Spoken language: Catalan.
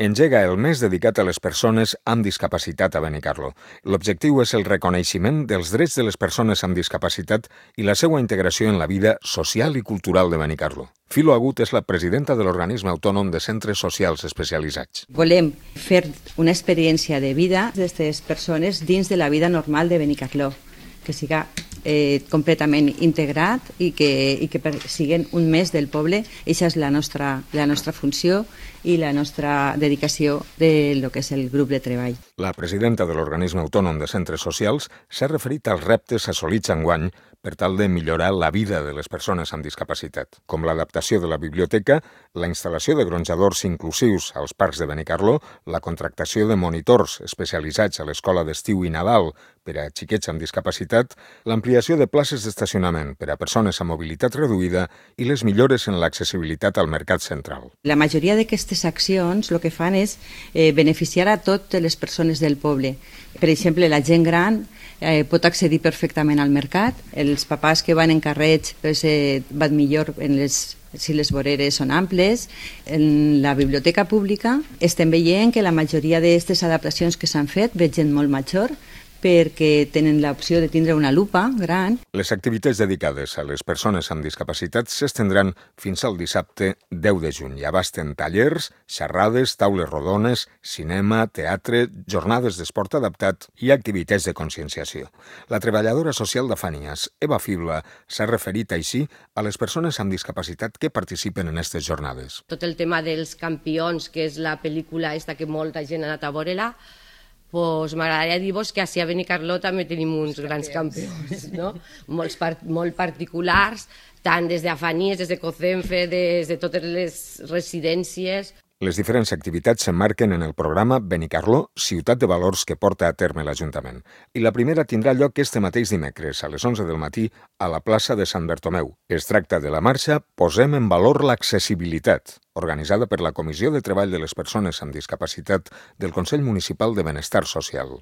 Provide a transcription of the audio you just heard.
Engega el mes dedicat a les persones amb discapacitat a Benicarló. L'objectiu és el reconeixement dels drets de les persones amb discapacitat i la seva integració en la vida social i cultural de Benicarló. Filo Agut és la presidenta de l'organisme autònom de centres socials especialitzats. Volem fer una experiència de vida d'aquestes persones dins de la vida normal de Benicarló, que siga completament integrat i que siguin un mes del poble. Aquesta és la nostra funció i la nostra dedicació de lo que és el grup de treball. La presidenta de l'organisme autònom de centres socials s'ha referit als reptes assolits enguany per tal de millorar la vida de les persones amb discapacitat, com l'adaptació de la biblioteca, la instal·lació de gronjadors inclusius als parcs de Benicarló, la contractació de monitors especialitzats a l'escola d'estiu i Nadal per a xiquets amb discapacitat, l'ampliació de places d'estacionament per a persones amb mobilitat reduïda i les millores en l'accessibilitat al mercat central. La majoria d'aquestes accions el que fan és beneficiar a totes les persones del poble. Per exemple, la gent gran pot accedir perfectament al mercat. Els papàs que van en carrets van millor si les voreres són amples. En la biblioteca pública estem veient que la majoria d'aquestes adaptacions que s'han fet ve gent molt major, perquè tenen l'opció de tindre una lupa gran. Les activitats dedicades a les persones amb discapacitat s'estendran fins al dissabte 10 de juny i abasten tallers, xerrades, taules rodones, cinema, teatre, jornades d'esport adaptat i activitats de conscienciació. La treballadora social de Fanias, Eva Fibla, s'ha referit així a les persones amb discapacitat que participen en aquestes jornades. Tot el tema dels campions, que és la pel·lícula esta que molta gent ha anat a veure-la, pues m'agradaria dir-vos que a Benicarló també tenim uns grans campions, no? Molt particulars, tant des de Afanies, des de Cocenfe, des de totes les residències. Les diferents activitats s'emmarquen en el programa Benicarló, Ciutat de Valors que porta a terme l'Ajuntament. I la primera tindrà lloc este mateix dimecres, a les 11 del matí, a la plaça de Sant Bertomeu. Es tracta de la marxa Posem en valor l'accessibilitat, organitzada per la Comissió de Treball de les Persones amb Discapacitat del Consell Municipal de Benestar Social.